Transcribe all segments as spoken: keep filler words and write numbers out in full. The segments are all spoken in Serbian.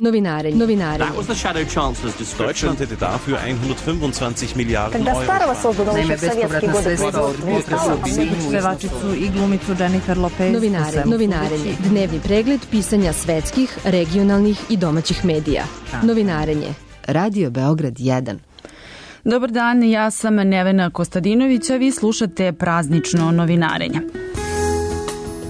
Novinarenje. Novinarenje. That was the Shadow Chancellor's description. Deutschland hätte dafür hundertfünfundzwanzig Miliarden Когда Euro. Starova создана Naime, bespovratna sredstva od pevačicu i glumicu Jennifer Lopez. Novinarenje. Novinarenje. Dnevni pregled pisanja svetskih, regionalnih i domaćih medija. Novinarenje. Radio Beograd jedan. Dobar dan, ja sam Nevena Kostadinović, a vi slušate praznično novinarenje.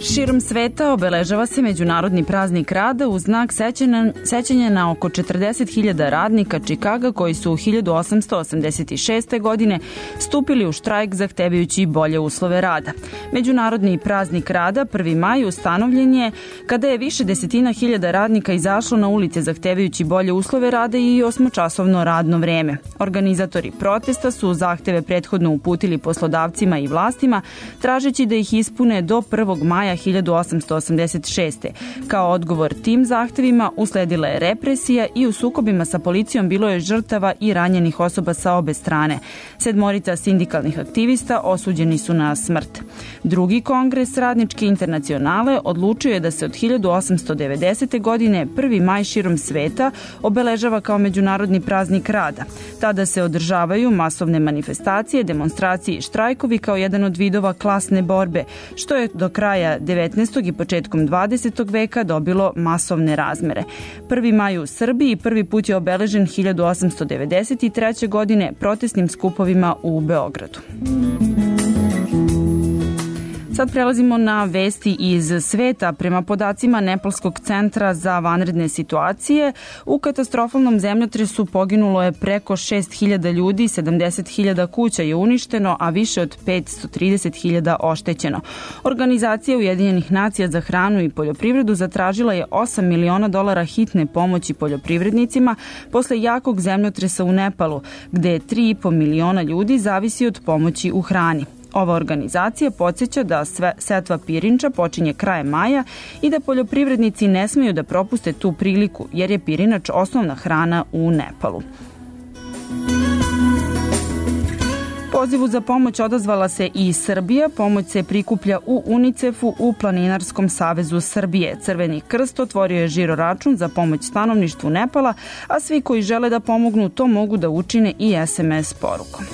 Širom sveta obeležava se Međunarodni praznik rada u znak sećanja, sećanja na oko četrdeset hiljada radnika Čikaga koji su u hiljadu osamsto osamdeset šeste. godine stupili u štrajk zahtevajući bolje uslove rada. Međunarodni praznik rada prvi maj ustanovljen je kada je više desetina hiljada radnika izašlo na ulice zahtevajući bolje uslove rada i osmočasovno radno vreme. Organizatori protesta su zahteve prethodno uputili poslodavcima i vlastima tražeći da ih ispune do prvog maja hiljadu osamsto osamdeset šeste. Kao odgovor tim zahtevima usledila je represija i u sukobima sa policijom bilo je žrtava i ranjenih osoba sa obe strane. Sedmorica sindikalnih aktivista osuđeni su na smrt. Drugi kongres Radničke internacionale odlučio je da se od hiljadu osamsto devedesete. godine prvi maj širom sveta obeležava kao Međunarodni praznik rada. Tada se održavaju masovne manifestacije, demonstracije i štrajkovi kao jedan od vidova klasne borbe, što je do kraja devetnaestog i početkom dvadesetog veka dobilo masovne razmere. prvi maj u Srbiji prvi put je obeležen hiljadu osamsto devedeset treće. godine protestnim skupovima u Beogradu. Sad prelazimo na vesti iz sveta. Prema podacima Nepalskog centra za vanredne situacije, u katastrofalnom zemljotresu poginulo je preko šest hiljada ljudi, sedamdeset hiljada kuća je uništeno, a više od petsto trideset hiljada oštećeno. Organizacija Ujedinjenih nacija za hranu i poljoprivredu zatražila je osam miliona dolara hitne pomoći poljoprivrednicima posle jakog zemljotresa u Nepalu, gde tri i po miliona ljudi zavisi od pomoći u hrani. Ova organizacija podsjeća da sve setva pirinča počinje krajem maja i da poljoprivrednici ne smeju da propuste tu priliku, jer je pirinač osnovna hrana u Nepalu. Pozivu za pomoć odazvala se i Srbija. Pomoć se prikuplja u UNICEF-u u Planinarskom savezu Srbije. Crveni krst otvorio je žiro račun za pomoć stanovništvu Nepala, a svi koji žele da pomognu to mogu da učine i es em es porukom.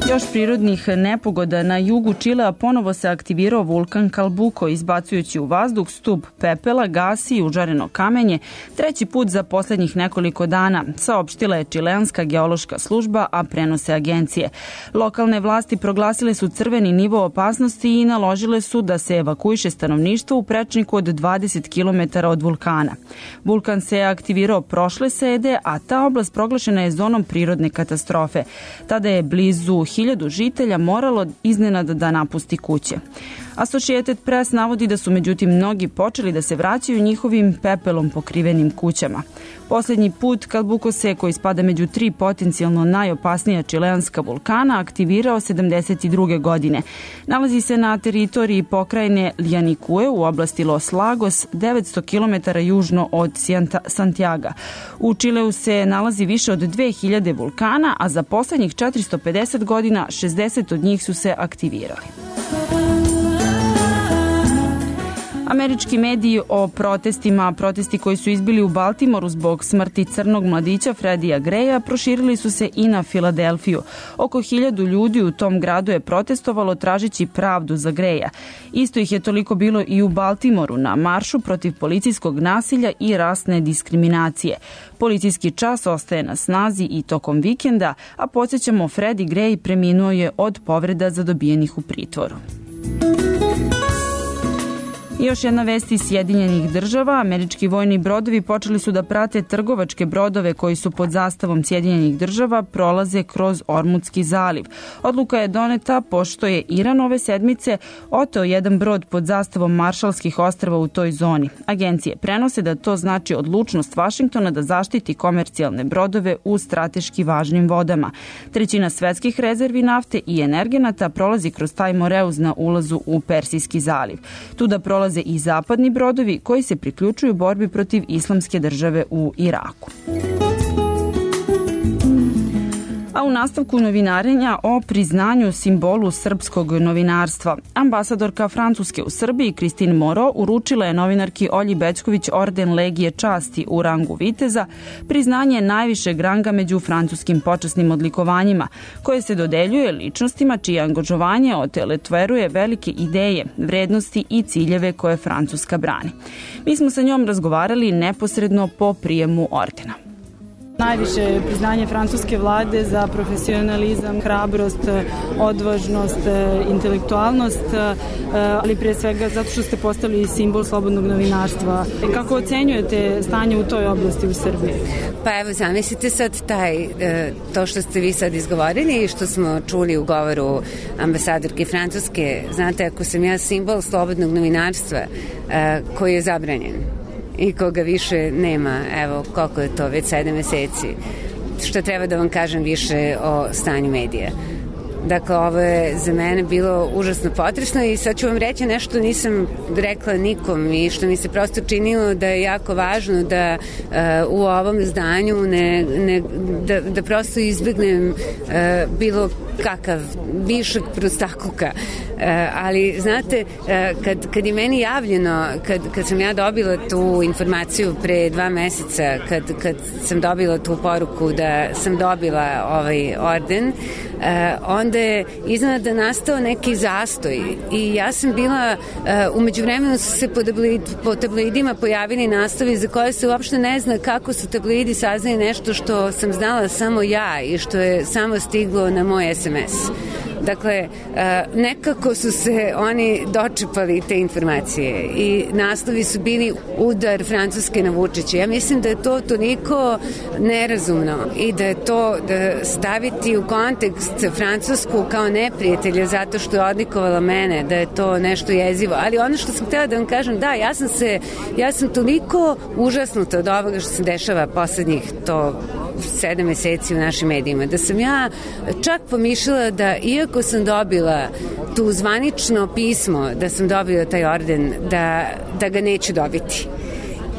Još prirodnih nepogoda. Na jugu Čilea ponovo se aktivirao vulkan Kalbuko, izbacujući u vazduh stup pepela, gasi i užareno kamenje, treći put za poslednjih nekoliko dana, saopštila je čileanska geološka služba, a prenose agencije. Lokalne vlasti proglasile su crveni nivo opasnosti i naložile su da se evakuiše stanovništvo u prečniku od dvadeset kilometara od vulkana. Vulkan se je aktivirao prošle srede, a ta oblast proglašena je zonom prirodne katastrofe. Tada je blizu hiljadu žitelja moralo iznenada da napusti kuće. Associated Press navodi da su međutim mnogi počeli da se vraćaju njihovim pepelom pokrivenim kućama. Poslednji put Kalbuko se, koji spada među tri potencijalno najopasnija čileanska vulkana, aktivirao sedamdeset druge. godine. Nalazi se na teritoriji pokrajine Ljanikue u oblasti Los Lagos, devetsto kilometara južno od Santiaga. U Čileu se nalazi više od dve hiljade vulkana, a za poslednjih četiristo pedeset godina šezdeset od njih su se aktivirali. Američki mediji o protestima, protesti koji su izbili u Baltimoru zbog smrti crnog mladića Freddija Greya, proširili su se i na Filadelfiju. Oko hiljadu ljudi u tom gradu je protestovalo tražeći pravdu za Greya. Isto ih je toliko bilo i u Baltimoru na maršu protiv policijskog nasilja i rasne diskriminacije. Policijski čas ostaje na snazi i tokom vikenda, a podsjećamo, Freddie Gray preminuo je od povreda zadobijenih u pritvoru. I još jedna vest iz Sjedinjenih država. Američki vojni brodovi počeli su da prate trgovačke brodove koji su pod zastavom Sjedinjenih država prolaze kroz Ormudski zaliv. Odluka je doneta pošto je Iran ove sedmice oteo jedan brod pod zastavom Maršalskih ostrva u toj zoni. Agencije prenose da to znači odlučnost Vašingtona da zaštiti komercijalne brodove u strateški važnim vodama. Trećina svetskih rezervi nafte i energenata prolazi kroz taj Moreuz na ulazu u Persijski zaliv. Tu da prolaze i zapadni brodovi koji se priključuju borbi protiv islamske države u Iraku. A u nastavku novinarenja o priznanju simbolu srpskog novinarstva. Ambasadorka Francuske u Srbiji, Christine Moreau, uručila je novinarki Olji Bećković orden Legije časti u rangu viteza, priznanje najvišeg ranga među francuskim počasnim odlikovanjima, koje se dodeljuje ličnostima čije angažovanje otelotveruje velike ideje, vrednosti i ciljeve koje Francuska brani. Mi smo sa njom razgovarali neposredno po prijemu ordena. Najviše priznanje francuske vlade za profesionalizam, hrabrost, odvažnost, intelektualnost, ali prije svega zato što ste postali simbol slobodnog novinarstva. Kako ocenjujete stanje u toj oblasti u Srbiji? Pa evo, zamislite sad taj, to što ste vi sad izgovorili i što smo čuli u govoru ambasadorke Francuske. Znate, ako sam ja simbol slobodnog novinarstva koji je zabranjen i koga više nema, evo koliko je to, već sedam meseci, što treba da vam kažem više o stanju medija. Dakle, ovo je za mene bilo užasno potresno i sad ću vam reći nešto nisam rekla nikom i što mi se prosto činilo da je jako važno da uh, u ovom zdanju ne, ne, da, da prosto izbjegnem uh, bilo kakav višak prostakluka. Uh, ali znate, uh, kad, kad je meni javljeno, kad, kad sam ja dobila tu informaciju pre dva meseca, kad, kad sam dobila tu poruku da sam dobila ovaj orden, uh, onda je iznenada nastao neki zastoj i ja sam bila, uh, umeđu vremenu su se po, tabloid, po tabloidima pojavili naslovi za koje se uopšte ne zna kako su tabloidi saznali nešto što sam znala samo ja i što je samo stiglo na moj es em es. Dakle, nekako su se oni dočepali te informacije i naslovi su bili udar Francuske na Vučića. Ja mislim da je to toliko nerazumno i da je to da staviti u kontekst Francusku kao neprijatelja zato što je odlikovala mene, da je to nešto jezivo. Ali ono što sam htjela da vam kažem, da, ja sam se, ja sam toliko užasnuta od ovoga što se dešava poslednjih to sedam meseci u našim medijima, da sam ja čak pomišljala da iako sam dobila tu zvanično pismo da sam dobila taj orden, da, da ga neću dobiti.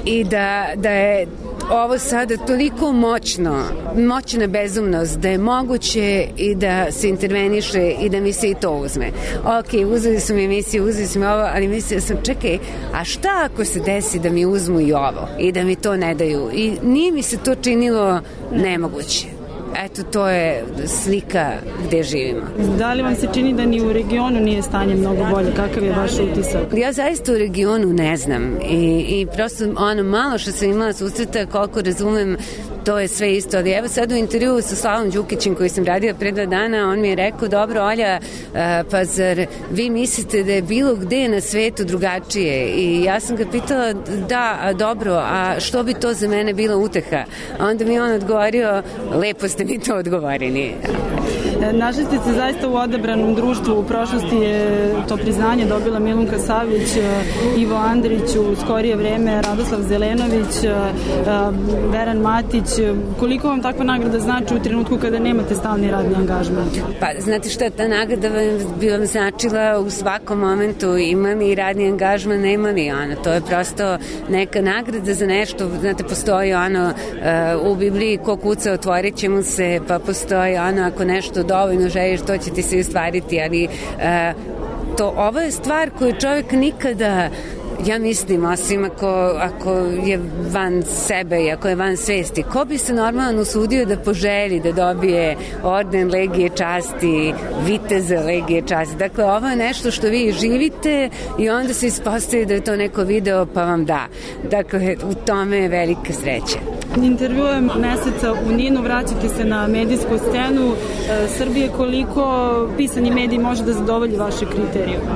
I da, da je ovo sada toliko moćno, moćna bezumnost, da je moguće i da se interveniše i da mi se i to uzme. Ok, uzeli su mi emisiju, uzeli su mi ovo, ali mislila sam, čekaj, a šta ako se desi da mi uzmu i ovo i da mi to ne daju? I nije mi se to činilo nemoguće. Eto, to je slika gde živimo. Da li vam se čini da ni u regionu nije stanje mnogo bolje? Kakav je vaš utisak? Ja zaista u regionu ne znam i, i prosto ono malo što sam imala susreta, koliko razumem, to je sve isto, ali evo sad u intervju sa Slavom Đukićem koji sam radila pre dva dana, on mi je rekao, dobro Olja, pa zar vi mislite da je bilo gde na svetu drugačije? I ja sam ga pitala, da, a dobro, a što bi to za mene bila uteha? A onda mi on odgovorio, lepo ste mi to odgovorili. Našli ste se zaista u odabranom društvu. U prošlosti je to priznanje dobila Milunka Savić, Ivo Andrić, u skorije vreme Radoslav Zelenović, Veran Matić. Koliko vam takva nagrada znači u trenutku kada nemate stalni radni angažman? Pa, znate šta, ta nagrada bi vam značila u svakom momentu, imali radni angažman, nemali ono. To je prosto neka nagrada za nešto. Znate, postoji ono u Bibliji, ko kuca otvorit će mu se, pa postoji ono, ako nešto dovoljno želiš, to će ti se ostvariti, ali uh, to, ovo je stvar koju čovjek nikada, ja mislim, osim ako, ako je van sebe i ako je van svesti, ko bi se normalno usudio da poželi da dobije orden Legije časti, viteza Legije časti. Dakle, ovo je nešto što vi živite i onda se ispostavi da je to neko video pa vam da. Dakle, u tome je velika sreća. Intervjujem meseca u Ninu, vraćate se na medijsku scenu e, Srbije. Koliko pisani medij može da zadovolji vaše kriterijume?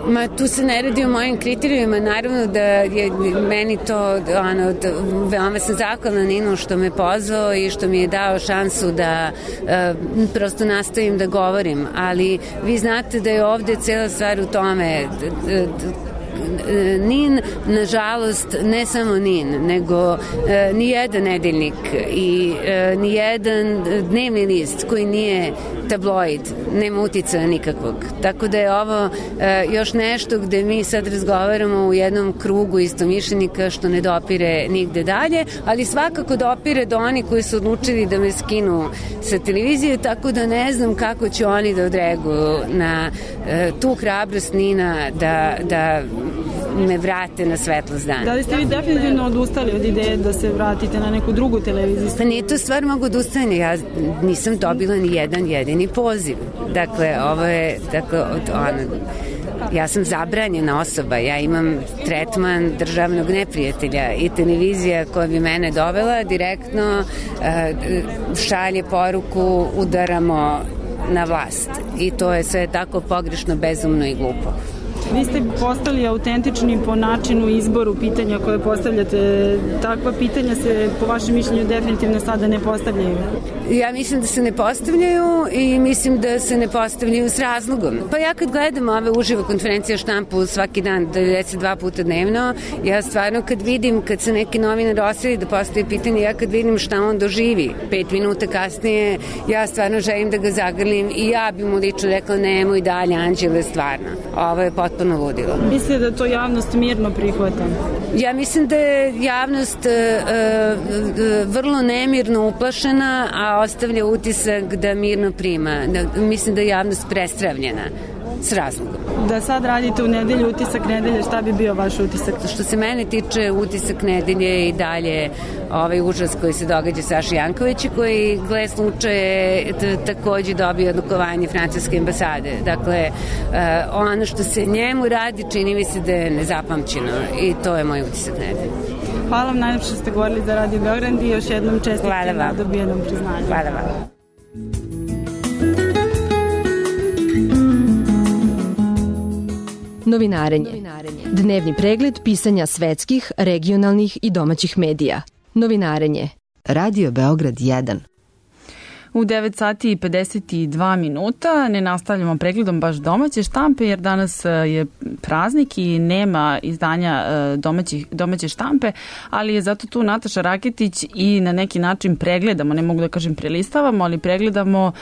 Ma, tu se ne radi o mojim kriterijima, naravno da je meni to, ono, da, veoma sam zahvalna Ninu što me pozvao i što mi je dao šansu da e, prosto nastavim da govorim, ali vi znate da je ovde cela stvar u tome, d, d, d, Nin, nažalost, ne samo Nin, nego e, ni jedan nedeljnik i e, ni jedan dnevni list koji nije tabloid, nema uticaja nikakvog. Tako da je ovo e, još nešto gde mi sad razgovaramo u jednom krugu istomišljenika što ne dopire nigde dalje, ali svakako dopire do oni koji su odlučili da me skinu sa televizije, tako da ne znam kako će oni da odreaguju na e, tu hrabrost Nina da, da me vrate na svetlost dana. Da li ste vi definitivno odustali od ideje da se vratite na neku drugu televiziju? Pa nije to stvar mogu odustajanja. Ja nisam dobila ni jedan jedini poziv. Dakle, ovo je, dakle, ono, ja sam zabranjena osoba, ja imam tretman državnog neprijatelja i televizija koja bi mene dovela direktno šalje poruku udaramo na vlast i to je sve tako pogrešno, bezumno i glupo. Vi ste postali autentični po načinu izboru pitanja koje postavljate. Takva pitanja se, po vašem mišljenju, definitivno sada ne postavljaju. Ja mislim da se ne postavljaju i mislim da se ne postavljaju s razlogom. Pa ja kad gledam ove uživo konferencije štampu svaki dan, devedeset dva puta dnevno, ja stvarno kad vidim, kad se neki novinar osjeti da postaje pitanje, ja kad vidim šta on doživi, pet minuta kasnije, ja stvarno želim da ga zagrlim i ja bi mu lično rekla nemoj dalje, Anđele, stvarno. Ovo je potpuno ludilo. Mislite da to javnost mirno prihvata? Ja mislim da je javnost uh, uh, vrlo nemirno uplašena, a ostavlja utisak da mirno prima. Da, mislim da je javnost prestravljena s razlogom. Da sad radite u nedelju utisak nedelje, šta bi bio vaš utisak? Što se mene tiče, utisak nedelje i dalje ovaj užas koji se događa Saši Jankoviću, koji, gle slučaje, takođe dobio odlikovanje francuske ambasade. Dakle, uh, ono što se njemu radi, čini mi se da je nezapamćeno i to je moj utisak nedelje. Hvala vam najlepše što ste govorili za Radio Beograd i još jednom čestitke na dobijenom priznanju. Hvala vam. Novinarenje. Dnevni pregled pisanja svetskih, regionalnih i domaćih medija. Novinarenje. Radio Beograd jedan. U devet sati i pedeset dva minuta ne nastavljamo pregledom baš domaće štampe jer danas je praznik i nema izdanja domaćih, domaće štampe, ali je zato tu Nataša Raketić i na neki način pregledamo, ne mogu da kažem prelistavamo, ali pregledamo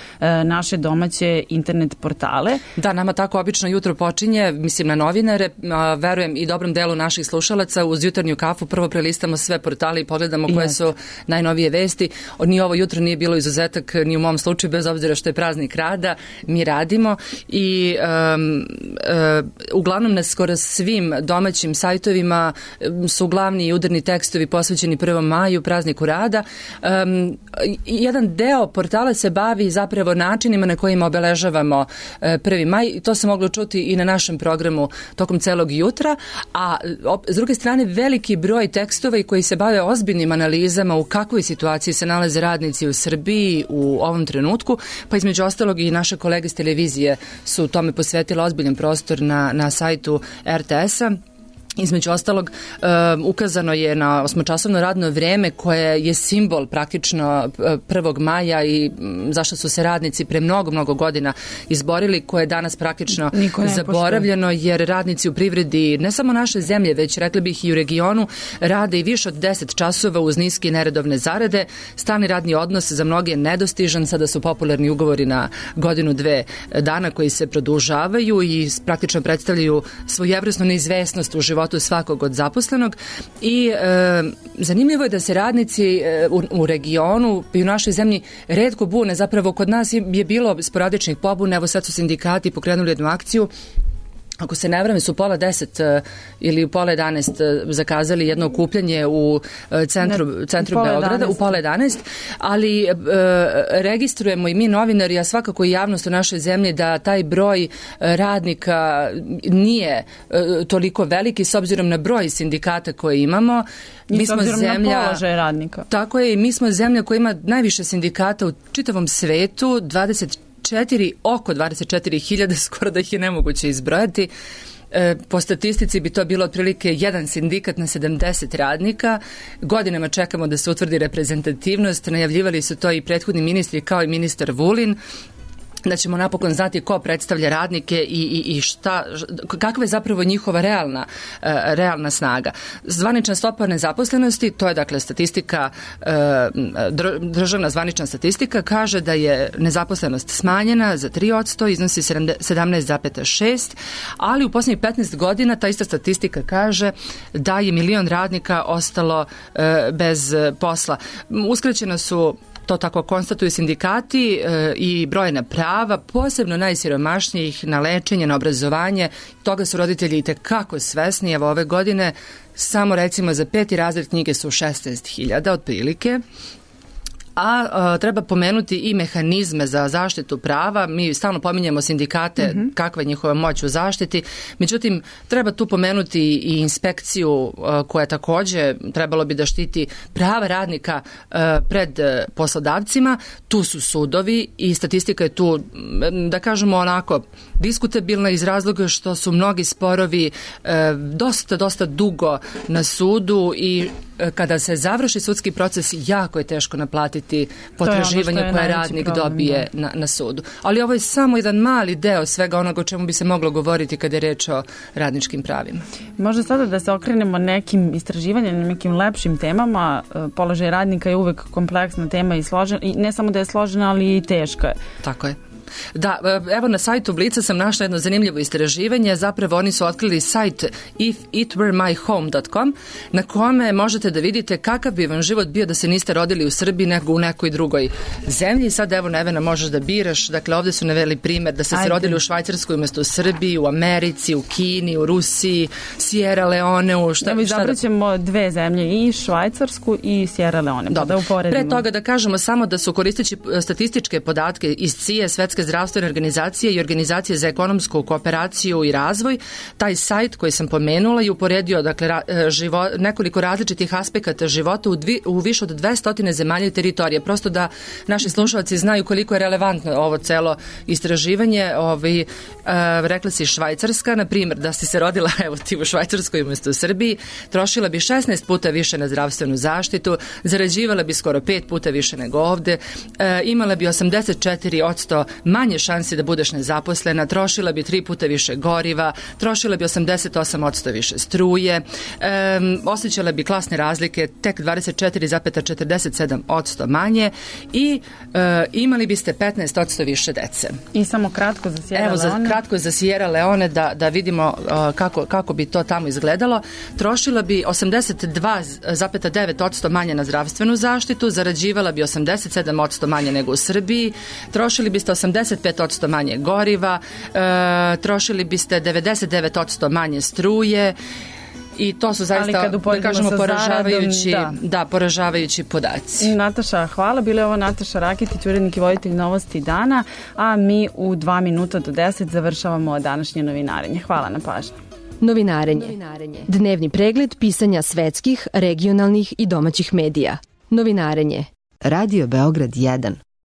naše domaće internet portale. Da, nama tako obično jutro počinje, mislim na novinare, verujem i dobrom delu naših slušalaca, uz jutarnju kafu prvo prelistamo sve portale i pogledamo koje su najnovije vesti. Ni ovo jutro nije bilo izuzetak ni u mom slučaju, bez obzira što je praznik rada, mi radimo i um, uh, uglavnom na skoro svim domaćim sajtovima su glavni i udarni tekstovi posvećeni prvom maju, prazniku rada. Um, jedan deo portala se bavi zapravo načinima na kojima obeležavamo uh, prvi maj i to se moglo čuti i na našem programu tokom celog jutra, a op, s druge strane veliki broj tekstova i koji se bave ozbiljnim analizama u kakvoj situaciji se nalaze radnici u Srbiji u ovom trenutku, pa između ostalog i naše kolege s televizije su tome posvetile ozbiljan prostor na, na sajtu er te es-a. Između ostalog, um, ukazano je na osmočasovno radno vreme koje je simbol praktično prvog maja i um, zašto su se radnici pre mnogo, mnogo godina izborili, koje je danas praktično zaboravljeno, jer radnici u privredi ne samo naše zemlje, već rekli bih i u regionu, rade i više od deset časova uz niske i neredovne zarade. Stalni radni odnos za mnoge je nedostižan, sada su popularni ugovori na godinu dve dana koji se produžavaju i praktično predstavljaju svojevrsnu neizvesnost u životu svakog od zaposlenog i e, zanimljivo je da se radnici e, u, u regionu i u našoj zemlji retko bune, zapravo kod nas je bilo sporadičnih pobuna, evo sad su sindikati pokrenuli jednu akciju. Ako se ne vrame, su pola deset uh, ili u pola jedanaest uh, zakazali jedno okupljanje u uh, centru, ne, centru Beograda, u pola jedanaest, ali uh, registrujemo i mi novinari, a svakako i javnost u našoj zemlji, da taj broj uh, radnika nije uh, toliko veliki s obzirom na broj sindikata koje imamo. Mi smo zemlja, na položaj radnika. Tako je, i mi smo zemlja koja ima najviše sindikata u čitavom svetu, dvadeset četiri, oko dvadeset četiri hiljade, skoro da ih je nemoguće izbrojati. E, po statistici bi to bilo otprilike jedan sindikat na sedamdeset radnika. Godinama čekamo da se utvrdi reprezentativnost, najavljivali su to i prethodni ministri kao i ministar Vulin. da ćemo napokon znati ko predstavlja radnike i, i, i šta, kakva je zapravo njihova realna, realna snaga. Zvanična stopa nezaposlenosti, to je dakle statistika, državna zvanična statistika, kaže da je nezaposlenost smanjena za tri posto, iznosi sedamnaest zarez šest, ali u posljednjih petnaest godina ta ista statistika kaže da je milion radnika ostalo bez posla. Uskraćena su, to tako konstatuju sindikati, e, i brojna prava, posebno najsiromašnijih, na lečenje, na obrazovanje. Toga su roditelji i tekako svesni. Evo ove godine samo recimo za peti razred knjige su šesnaest hiljada otprilike. A, a treba pomenuti i mehanizme za zaštitu prava. Mi stalno pominjemo sindikate, mm-hmm. kakva je njihova moć u zaštiti. Međutim, treba tu pomenuti i inspekciju a, koja takođe trebalo bi da štiti prava radnika a, pred a, poslodavcima. Tu su sudovi i statistika je tu, da kažemo onako, diskutabilna iz razloga što su mnogi sporovi a, dosta, dosta dugo na sudu i kada se završi sudski proces, jako je teško naplatiti potraživanje ono koje radnik problem, dobije na, na sudu. Ali ovo je samo jedan mali deo svega onoga o čemu bi se moglo govoriti kada je reč o radničkim pravima. Možda sada da se okrenemo nekim istraživanjem, nekim lepšim temama. Položaj radnika je uvek kompleksna tema i složena, i ne samo da je složena, ali i teška je. Tako je. Da, evo na sajtu Blica sam našla jedno zanimljivo istraživanje. Zapravo oni su otkrili sajt if it were my home dot com na kome možete da vidite kakav bi vam život bio da se niste rodili u Srbiji nego u nekoj drugoj zemlji. Sad evo Nevena možeš da biraš. Dakle, ovde su naveli primer da ste se rodili u Švajcarskoj umjesto u Srbiji, u Americi, u Kini, u Rusiji, Sierra Leoneu. Šta, evo šta izabraćemo da... dve zemlje, i Švajcarsku i Sierra Leone. Dobro. Da uporedimo. Pre toga da kažemo samo da su koristeći statističke podatke iz C I E, Svetske zdravstvene organizacije i Organizacije za ekonomsku kooperaciju i razvoj, taj sajt koji sam pomenula i uporedio dakle, ra, živo, nekoliko različitih aspekata života u, dvi, u više od dvesta zemalja i teritorije. Prosto da naši slušalci znaju koliko je relevantno ovo celo istraživanje. Ovaj, uh, rekla si Švajcarska, na primjer, da si se rodila evo ti u Švajcarskoj umjesto u Srbiji, trošila bi šesnaest puta više na zdravstvenu zaštitu, zarađivala bi skoro pet puta više nego ovde, uh, imala bi osamdeset četiri posto manje šansi da budeš nezaposlena, trošila bi tri puta više goriva, trošila bi osamdeset osam posto više struje, um, osjećala bi klasne razlike tek dvadeset četiri zarez četrdeset sedam posto manje i uh, imali biste petnaest posto više dece. I samo kratko za Sierra Evo, Leone. Evo, za, kratko za Sierra Leone da, da vidimo uh, kako, kako bi to tamo izgledalo. Trošila bi osamdeset dva zarez devet posto manje na zdravstvenu zaštitu, zarađivala bi osamdeset sedam posto manje nego u Srbiji, trošili biste osamdeset pet posto manje goriva, e, trošili biste devedeset devet posto manje struje i to su zaista, da kažemo, poražavajući, zaradom, da. da, poražavajući podaci. Nataša, hvala. Bila je ovo Nataša Rakitić, urednik i voditelj Novosti dana, a mi u dva minuta do deset završavamo današnje novinarenje. Hvala na pažnju. Novinarenje. Novinarenje. Dnevni pregled pisanja svetskih, regionalnih i domaćih medija. Novinarenje. Radio Beograd jedan.